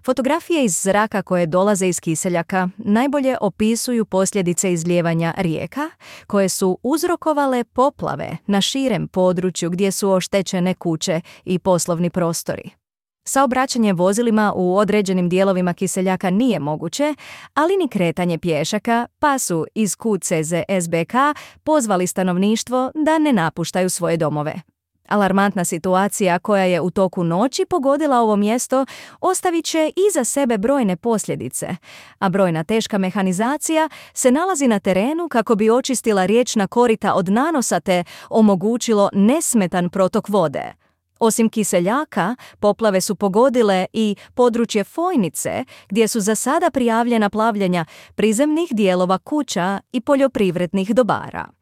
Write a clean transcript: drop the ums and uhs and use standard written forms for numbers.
Fotografije iz zraka koje dolaze iz kiseljaka najbolje opisuju posljedice izlijevanja rijeka koje su uzrokovale poplave na širem području gdje su oštećene kuće i poslovni prostori. Saobraćanje vozilima u određenim dijelovima kiseljaka nije moguće, ali ni kretanje pješaka, pa su iz QCZSBK pozvali stanovništvo da ne napuštaju svoje domove. Alarmantna situacija koja je u toku noći pogodila ovo mjesto ostavit će iza sebe brojne posljedice, a brojna teška mehanizacija se nalazi na terenu kako bi očistila riječna korita od nanosa te omogućilo nesmetan protok vode. Osim kiseljaka, poplave su pogodile i područje Fojnice, gdje su za sada prijavljena plavljenja prizemnih dijelova kuća i poljoprivrednih dobara.